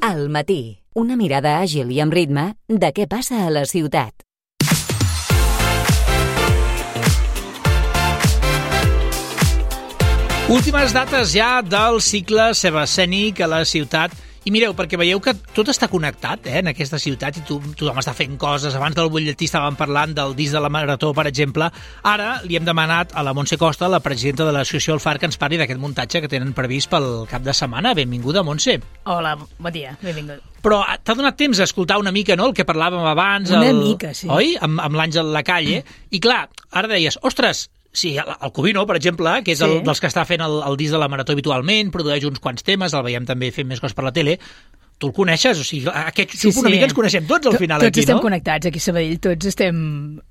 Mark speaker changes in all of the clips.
Speaker 1: Al matí, una mirada àgil i amb ritme de què passa a la ciutat.
Speaker 2: Últimes dates ja del cicle sebascènic a la ciutat. I mireu, perquè veieu que tot està connectat en aquesta ciutat i tothom està fent coses. Abans del butlletí estàvem parlant del disc de la Marató, per exemple. Ara li hem demanat a la Montse Costa, la presidenta de l'associació El Far, que ens parli d'aquest muntatge que tenen previst pel cap de setmana. Benvinguda, Montse.
Speaker 3: Hola, bon dia, benvingut.
Speaker 2: Però t'ha donat temps a escoltar una mica, no?, el que parlàvem abans.
Speaker 3: Una mica, sí.
Speaker 2: Oi? Amb l'Àngel Lacalle. I clar, ara deies, ostres, sí, el Covino, per exemple, que és dels que està fent el disc de la Marató habitualment, produeix uns quants temes, el veiem també fent més coses per la tele. Tu el coneixes? O sigui, una mica ens coneixem tots al final
Speaker 3: tots
Speaker 2: aquí, no?
Speaker 3: Tots estem connectats aquí a Sabadell, tots estem...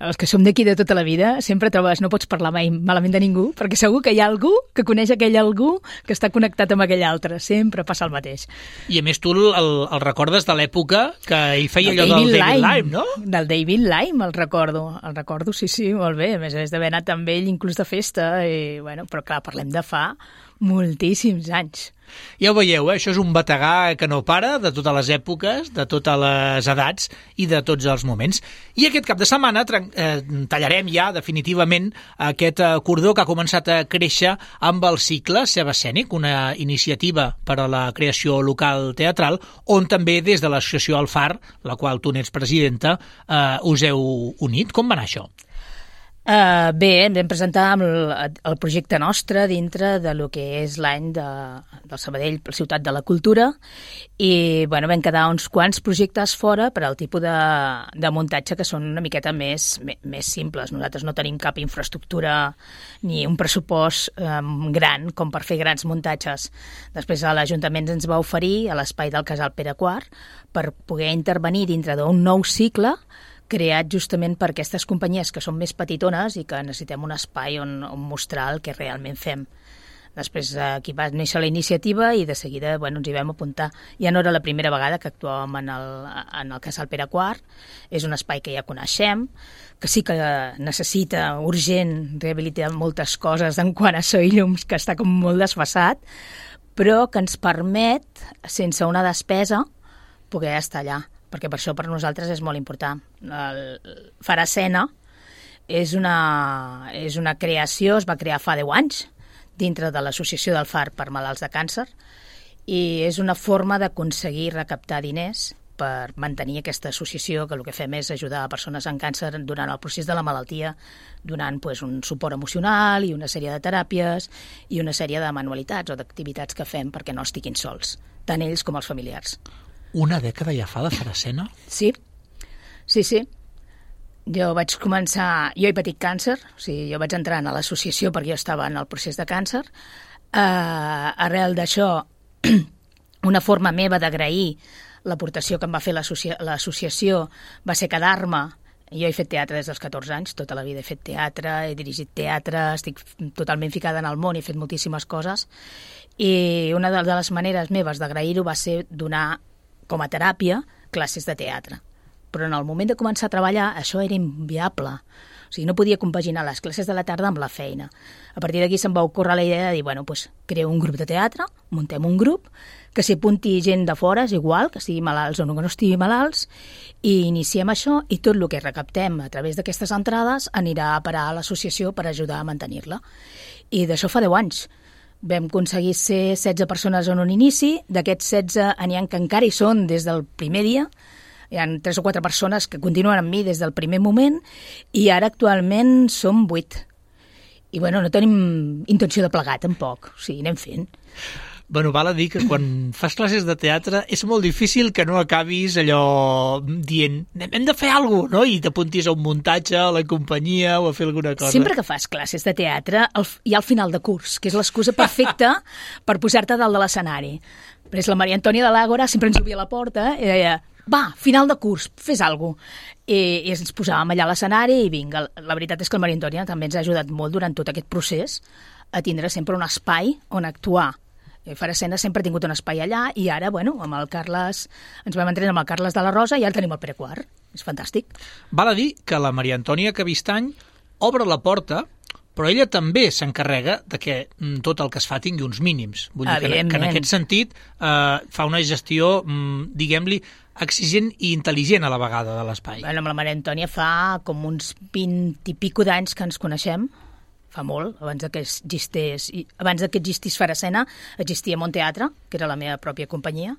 Speaker 3: Els que som d'aquí de tota la vida, sempre trobes, no pots parlar mai malament de ningú, perquè segur que hi ha algú que coneix aquell algú que està connectat amb aquell altre. Sempre passa el mateix.
Speaker 2: I a més tu el recordes de l'època que ell feia allò del David Lime, no?
Speaker 3: Del David Lime, el recordo, sí, molt bé. A més d'haver anat amb ell inclús de festa, i, bueno, però clar, parlem de fa moltíssims anys.
Speaker 2: Ja ho veieu, això és un bategà que no para, de totes les èpoques, de totes les edats i de tots els moments. I aquest cap de setmana tallarem ja definitivament aquest cordó que ha començat a créixer amb el cicle sebascènic, una iniciativa per a la creació local teatral, on també des de l'associació El Far, la qual tu n'ets presidenta, us heu unit. Com va anar això?
Speaker 3: Bé, vam presentar el projecte nostre dintre de lo que és l'any del Sabadell, la ciutat de la cultura, i bueno, vam quedar uns quants projectes fora per al tipus de muntatge que són una miqueta més simples. Nosaltres no tenim cap infraestructura ni un pressupost gran com per fer grans muntatges. Després l'Ajuntament ens va oferir a l'espai del Casal Pere IV per poder intervenir dintre d'un nou cicle creat justament per aquestes companyies que són més petitones i que necessitem un espai on mostrar el que realment fem. Després aquí va néixer la iniciativa i de seguida ens hi vam apuntar. Ja no era la primera vegada que actuàvem en el Casal Pere IV. És un espai que ja coneixem, que sí que necessita urgent rehabilitar moltes coses en quant a so i llums, que està com molt desfasat, però que ens permet, sense una despesa, poder estar allà, perquè per això per nosaltres és molt important. El Far Escena és una creació, es va crear fa 10 anys dintre de l'Associació del Far per malalts de càncer, i és una forma d'aconseguir recaptar diners per mantenir aquesta associació, que el que fem és ajudar a persones amb càncer durant el procés de la malaltia, donant un suport emocional i una sèrie de teràpies i una sèrie de manualitats o d'activitats que fem perquè no estiguin sols, tant ells com els familiars.
Speaker 2: Una dècada ja fa de Far Escena?
Speaker 3: Sí. Jo vaig començar... Jo he patit càncer, o sigui, jo vaig entrar a l'associació perquè jo estava en el procés de càncer. Arrel d'això, una forma meva d'agrair l'aportació que em va fer l'associació va ser quedar-me. Jo he fet teatre des dels 14 anys, tota la vida he fet teatre, he dirigit teatre, estic totalment ficada en el món, he fet moltíssimes coses, i una de les maneres meves d'agrair-ho va ser donar com a teràpia classes de teatre. Però en el moment de començar a treballar això era inviable. O sigui, no podia compaginar les classes de la tarda amb la feina. A partir d'aquí se'm va ocórrer la idea de dir, creo un grup de teatre, muntem un grup, que s'hi apunti gent de fora, és igual, que estigui malalts o no que no estigui malalts, i iniciem això, i tot el que recaptem a través d'aquestes entrades anirà a parar a l'associació per ajudar a mantenir-la. I d'això fa 10 anys. Vam aconseguir ser 16 persones en un inici, d'aquests 16 n'hi ha que encara hi són des del primer dia, hi ha 3 o 4 persones que continuen amb mi des del primer moment, i ara actualment som 8. I no tenim intenció de plegar tampoc, o sigui, anem fent.
Speaker 2: Val a dir que quan fas classes de teatre és molt difícil que no acabis allò dient hem de fer alguna cosa, no? I t'apuntis a un muntatge, a la companyia o a fer alguna cosa.
Speaker 3: Sempre que fas classes de teatre hi ha el final de curs, que és l'excusa perfecta per posar-te dalt de l'escenari. Però és la Maria Antònia de l'Àgora, sempre ens obria la porta i deia, va, final de curs, fes alguna cosa. I ens posàvem allà a l'escenari i vinga. La veritat és que la Maria Antònia també ens ha ajudat molt durant tot aquest procés a tindre sempre un espai on actuar. Far Escena sempre ha tingut un espai allà i ara, amb el Carles, ens vam entrenar amb el Carles de la Rosa i ara tenim el Pere IV. És fantàstic.
Speaker 2: Val a dir que la Maria Antònia Cabistany obre la porta però ella també s'encarrega de que tot el que es fa tingui uns mínims. Vull dir que en aquest sentit fa una gestió, diguem-li, exigent i intel·ligent a la vegada de l'espai.
Speaker 3: Bueno, amb la Maria Antònia fa com uns 20 i pico d'anys que ens coneixem, fa molt, abans que existís Faracena, existia Monteatre, que era la meva pròpia companyia,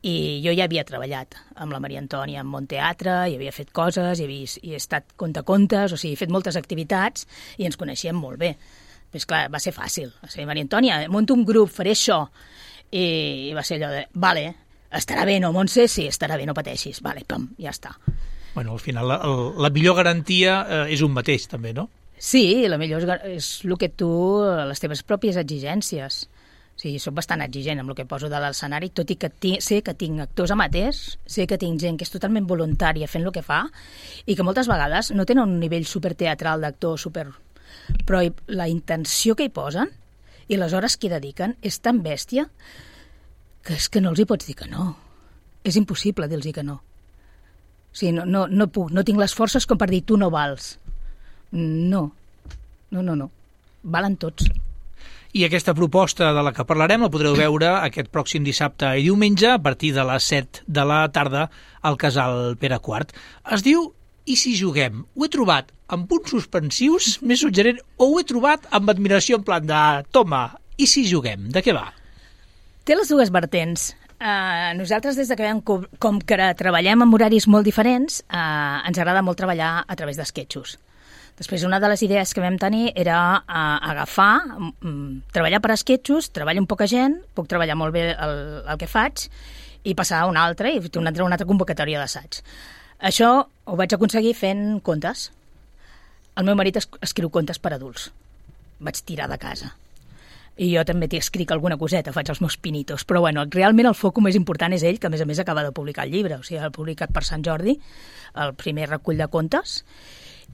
Speaker 3: i jo ja havia treballat amb la Maria Antònia en Monteatre, i havia fet coses, i he estat contacontes, o sigui, he fet moltes activitats, i ens coneixíem molt bé. Però, clar, va ser fàcil. Va ser, Maria Antònia, monto un grup, faré això, i va ser allò de, vale, estarà bé, no, Montse? Sí, estarà bé, no pateixis. Vale, pam, ja està.
Speaker 2: Bueno, al final la millor garantia és un mateix, també, no?
Speaker 3: Sí, la millor és el que tu, les teves pròpies exigències. O sigui, soc bastant exigent amb el que poso de l'escenari, tot i que sé que tinc actors amateurs, sé que tinc gent que és totalment voluntària fent el que fa, i que moltes vegades no tenen un nivell superteatral d'actor, però la intenció que hi posen i les hores que hi dediquen és tan bèstia que és que no els hi pots dir que no. És impossible dir-los que no. O sigui, no puc, no tinc les forces com per dir tu no vals. No. Valen tots.
Speaker 2: I aquesta proposta de la que parlarem la podreu veure aquest pròxim dissabte i diumenge a partir de les 7 de la tarda al Casal Pere IV. Es diu I si juguem? Ho he trobat amb punts suspensius, més suggerent, o ho he trobat amb admiració en plan de toma, i si juguem? De què va?
Speaker 3: Té les dues vertents. Nosaltres, des que com que treballem en horaris molt diferents, ens agrada molt treballar a través d'esquetxos. Després, una de les idees que vam tenir era treballar per esquetxos, treballar amb poca gent, puc treballar molt bé el que faig, i passar a un altre, i fer una altra convocatòria d'assaig. Això ho vaig aconseguir fent contes. El meu marit escriu contes per adults. Vaig tirar de casa. I jo també t'hi escric alguna coseta, faig els meus pinitos, però bueno, realment el foc més important és ell, que a més acaba de publicar el llibre, o sigui, ha publicat per Sant Jordi, el primer recull de contes.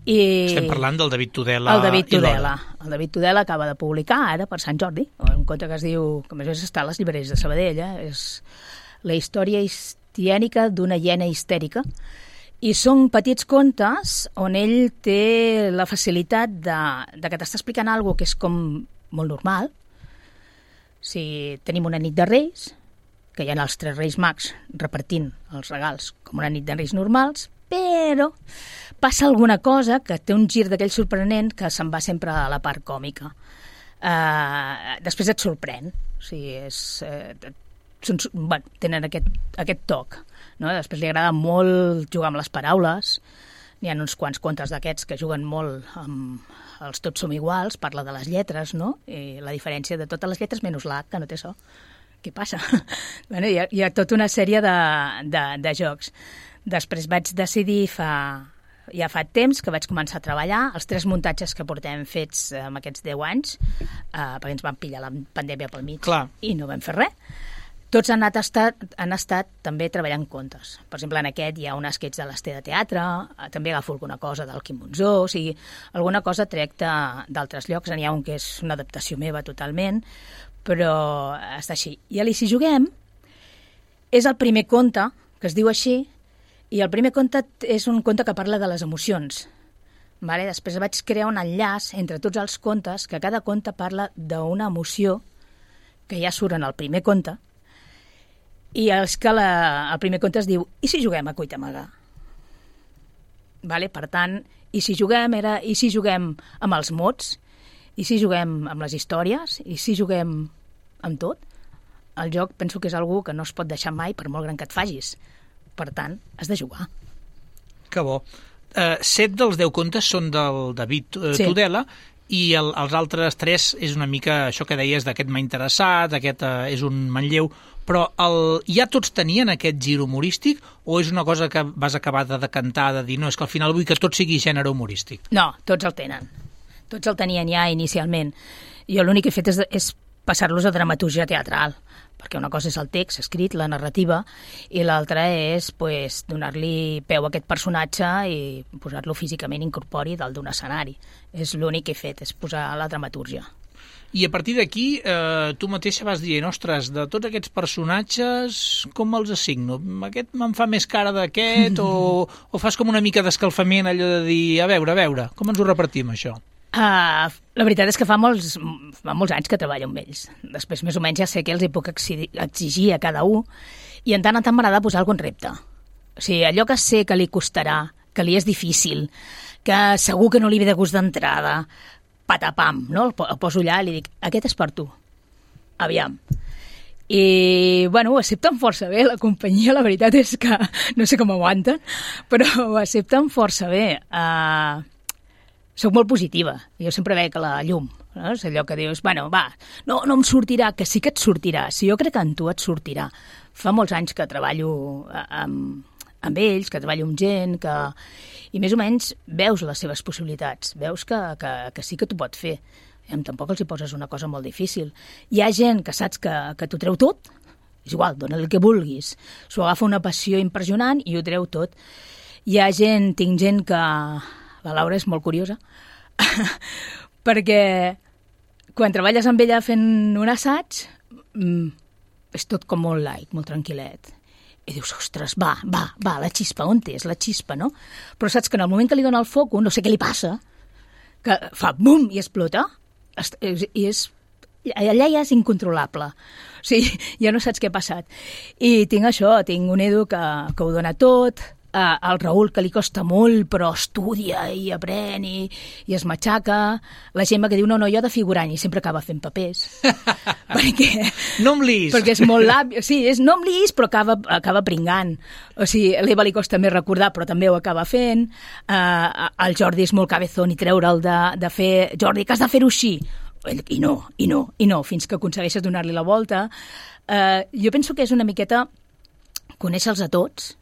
Speaker 2: Estem parlant del David Tudela.
Speaker 3: El David Tudela acaba de publicar ara per Sant Jordi, un conte que es diu, que a més està a les llibreries de Sabadell, és la història histiènica d'una hiena histèrica, i són petits contes on ell té la facilitat de que t'està explicant alguna cosa que és com molt normal. Si tenim una nit de Reis, que hi ha els 3 Reis Mags repartint els regals com una nit de Reis normals, però passa alguna cosa que té un gir d'aquell sorprenent que se'n va sempre a la part còmica. Després et sorprèn. O sigui, tenen aquest toc. No? Després li agrada molt jugar amb les paraules. N'hi ha uns quants contes d'aquests que juguen molt amb els Tots som iguals, parla de les lletres, no? I la diferència de totes les lletres menys l'H, que no té so. Què passa? Bueno, hi ha tota una sèrie de jocs. Després vaig decidir ja fa temps que vaig començar a treballar els 3 muntatges que portem fets en aquests 10 anys, perquè ens van pillar la pandèmia pel mig.
Speaker 2: Clar.
Speaker 3: I no vam fer res. Tots han estat també treballant contes. Per exemple, en aquest hi ha un esquetx de l'Ester de Teatre, també agafo alguna cosa del Quim Monzó, o sigui, alguna cosa trec d'altres llocs. N'hi ha un que és una adaptació meva totalment, però està així. I a l'I si juguem és el primer conte, que es diu així, i el primer conte és un conte que parla de les emocions. Vale? Després vaig crear un enllaç entre tots els contes, que cada conte parla d'una emoció que ja surt en el primer conte, i és que el primer conte es diu I si juguem a cuita amagar? Vale? Per tant, i si juguem amb els mots, i si juguem amb les històries, i si juguem amb tot. El joc penso que és algú que no es pot deixar mai per molt gran que et facis. Per tant, has de jugar.
Speaker 2: Que bo. 7 dels 10 contes són del David Tudela, i els altres 3 és una mica això que deies d'aquest m'ha interessat, aquest és un manlleu, però ja tots tenien aquest gir humorístic o és una cosa que vas acabar de decantar, de dir, no, és que al final vull que tot sigui gènere humorístic?
Speaker 3: No, tots el tenen. Tots el tenien ja inicialment. Jo l'únic que he fet és passar-los a dramaturgia teatral, perquè una cosa és el text escrit, la narrativa, i l'altra és donar-li peu a aquest personatge i posar-lo físicament incorpori dalt d'un escenari. És l'únic que he fet, és posar la dramaturgia.
Speaker 2: I a partir d'aquí, tu mateixa vas dient, ostres, de tots aquests personatges, com els assigno? Aquest me'n fa més cara d'aquest, o fas com una mica d'escalfament, allò de dir, a veure, com ens ho repartim, això?
Speaker 3: La veritat és que fa molts anys que treballo amb ells. Després, més o menys, ja sé que els hi puc exigir a cada un i en tant m'agrada posar algun repte. O sigui, allò que sé que li costarà, que li és difícil, que segur que no li ve de gust d'entrada, patapam, no? El poso allà i li dic, aquest és per tu. Aviam. I, bueno, ho accepten força bé, la companyia, la veritat és que no sé com aguanten, però ho accepten força bé. Soc molt positiva, jo sempre veig la llum, no? És allò que dius, bueno, va, no em sortirà, que sí que et sortirà, si jo crec que en tu et sortirà. Fa molts anys que treballo amb ells, que treballo amb gent, i més o menys veus les seves possibilitats, veus que sí que t'ho pot fer. Tampoc els hi poses una cosa molt difícil. Hi ha gent que saps que t'ho treu tot, és igual, dona-li el que vulguis. S'ho agafa una passió impressionant i ho treu tot. Tinc gent que... La Laura és molt curiosa, perquè quan treballes amb ella fent un assaig, és tot com molt light, molt tranquil·let. I dius, ostres, va, la xispa, on és la xispa, no? Però saps que en el moment que li dona el foc, no sé què li passa, que fa bum i explota, allà ja és incontrolable. O sigui, ja no saps què ha passat. I tinc un Edu que ho dona tot, el Raül, que li costa molt, però estudia i aprèn i es matxaca. La Gemma, que diu, no, jo de figurant, i sempre acaba fent papers.
Speaker 2: No em lis.
Speaker 3: Perquè és molt làbil. Sí, no em lis, però acaba pringant. O sigui, a l'Eva li costa més recordar, però també ho acaba fent. El Jordi és molt cabezón i treure'l de fer... Jordi, que has de fer-ho així. I no, fins que aconsegueixes donar-li la volta. Jo penso que és una miqueta conèixer-los a tots,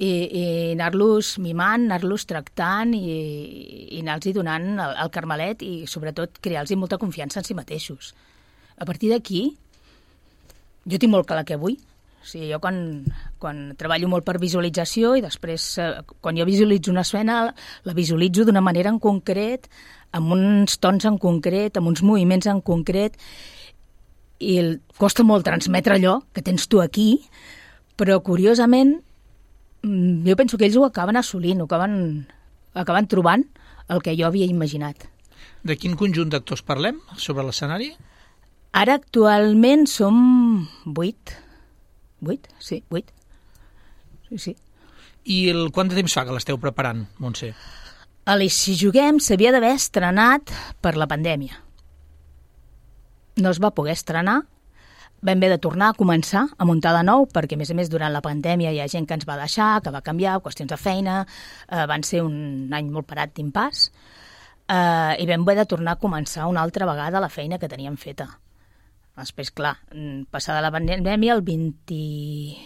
Speaker 3: i anar-los mimant, anar-los tractant i anar-los donant el carmelet i, sobretot, crear-los molta confiança en si mateixos. A partir d'aquí, jo tinc molt clar què vull. O sigui, jo quan treballo molt per visualització i després, quan jo visualitzo una escena, la visualitzo d'una manera en concret, amb uns tons en concret, amb uns moviments en concret, i costa molt transmetre allò que tens tu aquí, però, curiosament, jo penso que ells ho acaben assolint, acaben trobant el que jo havia imaginat.
Speaker 2: De quin conjunt d'actors parlem sobre l'escenari?
Speaker 3: Ara actualment som 8. 8? Sí, 8. Sí.
Speaker 2: I quant de temps fa que l'esteu preparant, Montse?
Speaker 3: Si juguem s'havia d'haver estrenat per la pandèmia. No es va poder estrenar. Vam haver de tornar a començar a muntar de nou, perquè, a més, durant la pandèmia hi ha gent que ens va deixar, que va canviar, qüestions de feina, van ser un any molt parat d'impàs, i vam haver de tornar a començar una altra vegada la feina que teníem feta. Després, clar, passada la pandèmia, el 22,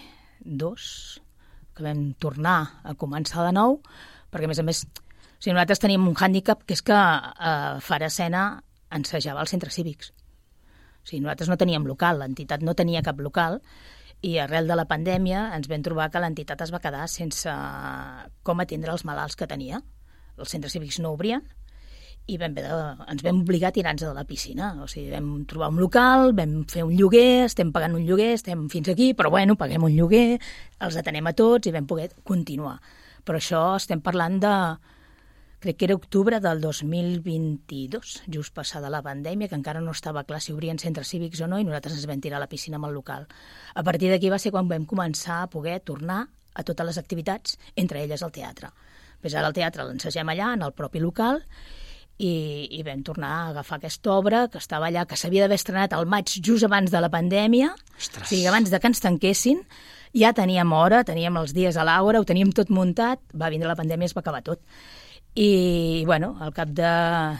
Speaker 3: que vam tornar a començar de nou, perquè, a més, nosaltres teníem un hàndicap, que és que Far Escena ensejava als centres cívics. O sigui, nosaltres no teníem local, l'entitat no tenia cap local, i arrel de la pandèmia ens vam trobar que l'entitat es va quedar sense com atendre els malalts que tenia. Els centres cívics no obrien i ens vam obligar a tirar-nos de la piscina. O sigui, vam trobar un local, vam fer un lloguer, estem pagant un lloguer, estem fins aquí, però bueno, paguem un lloguer, els atenem a tots i vam poder continuar. Però això estem parlant de... Crec que era octubre del 2022, just passada la pandèmia, que encara no estava clar si obrien centres cívics o no, i nosaltres ens vam tirar a la piscina amb el local. A partir d'aquí va ser quan vam començar a poder tornar a totes les activitats, entre elles el teatre. Ara el teatre l'ensegem allà, en el propi local, i vam tornar a agafar aquesta obra que estava allà, que s'havia d'haver estrenat al maig just abans de la pandèmia.
Speaker 2: Ostres.
Speaker 3: O sigui, abans de que ens tanquessin. Ja teníem hora, teníem els dies a l'hora, ho teníem tot muntat, va vindre la pandèmia i es va acabar tot. I, bueno, al cap de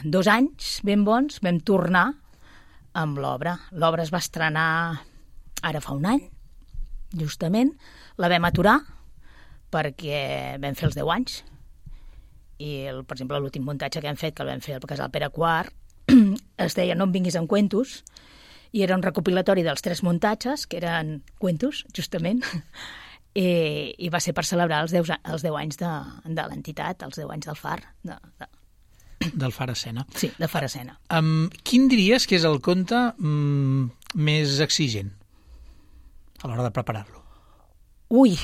Speaker 3: 2 anys ben bons vam tornar amb l'obra. L'obra es va estrenar ara fa un any, justament. La vam aturar perquè vam fer els 10 anys. I, per exemple, l'últim muntatge que hem fet, que el vam fer al Casal Pere IV, es deia No em vinguis amb cuentos, i era un recopilatori dels 3 muntatges, que eren cuentos, justament, i va ser per celebrar els 10 anys de l'entitat, els 10 anys del FAR.
Speaker 2: Del Far Escena.
Speaker 3: Sí, de Far Escena.
Speaker 2: Quin diries que és el conte més exigent a l'hora de preparar-lo?
Speaker 3: Ui,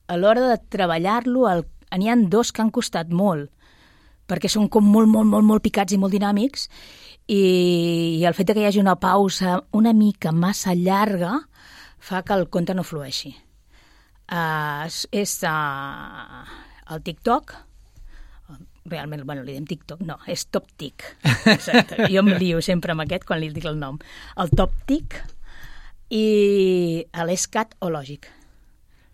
Speaker 3: a l'hora de treballar-lo n'hi ha 2 que han costat molt, perquè són com molt picats i molt dinàmics, i el fet que hi hagi una pausa una mica massa llarga fa que el conte no flueixi. És el TikTok, realment, li diem TikTok, no, és Top Tic. Exacte. Jo em lio sempre amb aquest quan li dic el nom. El Top Tic i l'Escatològic.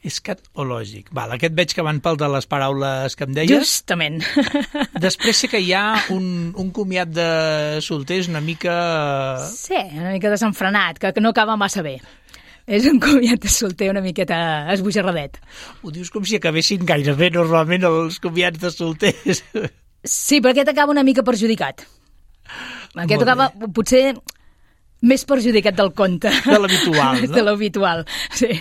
Speaker 2: Escatològic. Val, aquest veig que van pel de les paraules que em deies.
Speaker 3: Justament.
Speaker 2: Després sé que hi ha un comiat de solters una mica...
Speaker 3: Sí, una mica desenfrenat, que no acaba massa bé. És un comiat de solter una miqueta esbojarradet.
Speaker 2: Ho dius com si acabessin gaire bé normalment els comiats de solters.
Speaker 3: Sí, però aquest acaba una mica perjudicat. Aquest acaba potser més perjudicat del conte.
Speaker 2: De l'habitual, no?
Speaker 3: De l'habitual, sí.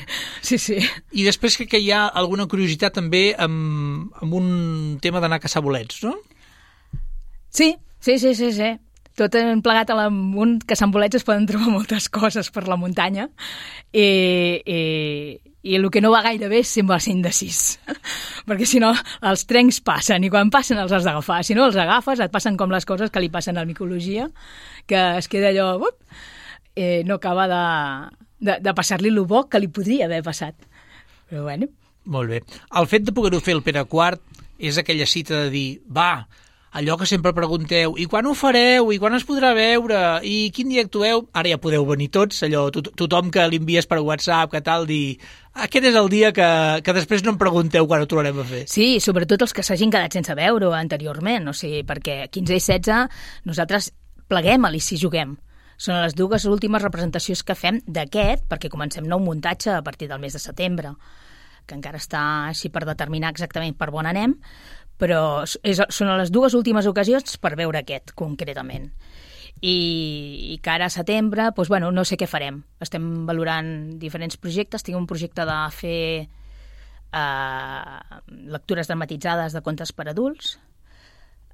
Speaker 2: I després que hi ha alguna curiositat també amb un tema d'anar a caçar bolets, no?
Speaker 3: Sí. Tot plegat a l'amunt, que a Sant Bolets es poden trobar moltes coses per la muntanya i el que no va gaire bé sembla ser indecís, perquè si no els trens passen i quan passen els has d'agafar, si no els agafes et passen com les coses que li passen a la micologia, que es queda allò, no acaba de passar-li el bo que li podria haver passat, però bueno.
Speaker 2: Molt bé. El fet de poder-ho fer el Pere IV és aquella cita de dir, va, allò que sempre pregunteu, i quan ho fareu, i quan es podrà veure, i quin dia actueu, ara ja podeu venir tots, allò, tothom que li envies per WhatsApp, que tal, dir, aquest és el dia que després no em pregunteu quan ho tornarem a fer.
Speaker 3: Sí, sobretot els que s'hagin quedat sense veure anteriorment, o sigui, perquè 15 i 16 nosaltres pleguem a l'I Si Juguem. Són les dues últimes representacions que fem d'aquest, perquè comencem nou muntatge a partir del mes de setembre, que encara està així per determinar exactament per on anem, però són les dues últimes ocasions per veure aquest, concretament. I que ara a setembre, doncs, no sé què farem. Estem valorant diferents projectes. Tinc un projecte de fer lectures dramatitzades de contes per adults,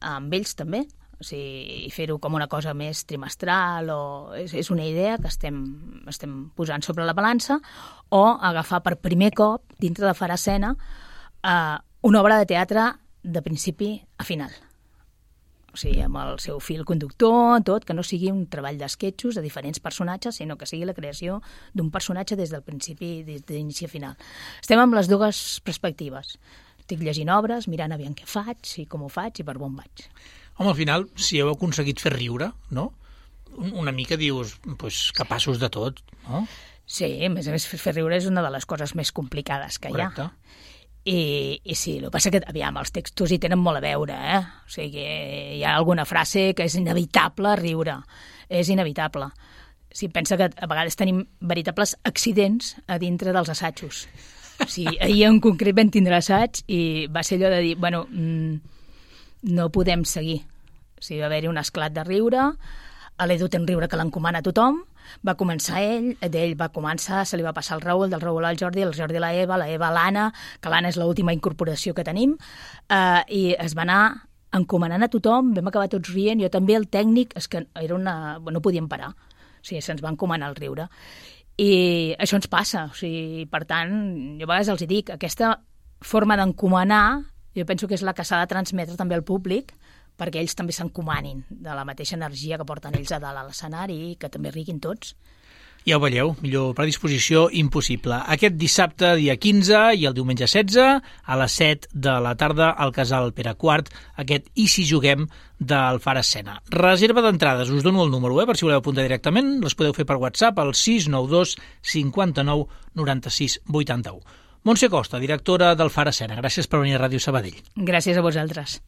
Speaker 3: amb ells també, o sigui, i fer-ho com una cosa més trimestral, és una idea que estem posant sobre la balança, o agafar per primer cop, dintre de Faracena, una obra de teatre de principi a final. O sigui, amb el seu fil conductor, tot, que no sigui un treball d'esquetxos de diferents personatges, sinó que sigui la creació d'un personatge des del principi, des d'inici a final. Estem amb les dues perspectives. Estic llegint obres, mirant aviam què faig, i com ho faig, i per on vaig.
Speaker 2: Home, al final, si heu aconseguit fer riure, no? Una mica dius, doncs, capaços de tot, no?
Speaker 3: Sí, a més, fer riure és una de les coses més complicades que hi ha.
Speaker 2: Correcte.
Speaker 3: I sí, el que passa que, aviam, els textos hi tenen molt a veure, O sigui, hi ha alguna frase que és inevitable riure, és inevitable. Si pensa que a vegades tenim veritables accidents a dintre dels assajos. O sigui, ahir en concret vam tindre assaig i va ser allò de dir, no podem seguir. O sigui, va haver-hi un esclat de riure, a l'Edu té un riure que l'encomana a tothom, va començar ell, d'ell va començar, se li va passar el Raül, del Raül al Jordi, el Jordi a la Eva a l'Anna, que l'Anna és l'última incorporació que tenim, i es va anar encomanant a tothom, vam acabar tots rient, jo també, el tècnic, és que no podíem parar, o sigui, se'ns va encomanar el riure. I això ens passa, o sigui, per tant, jo a vegades els dic, aquesta forma d'encomanar, jo penso que és la que s'ha de transmetre també al públic, perquè ells també s'encomanin de la mateixa energia que porten ells a dalt a l'escenari i que també riguin tots.
Speaker 2: Ja ho veieu, millor predisposició impossible. Aquest dissabte, dia 15, i el diumenge 16, a les 7 de la tarda, al Casal Pere IV, aquest I Si Juguem del Faracena. Reserva d'entrades, us dono el número, per si voleu apuntar directament, les podeu fer per WhatsApp al 692 59 96 81. Montse Costa, directora del Faracena, gràcies per venir a Ràdio Sabadell.
Speaker 3: Gràcies a vosaltres.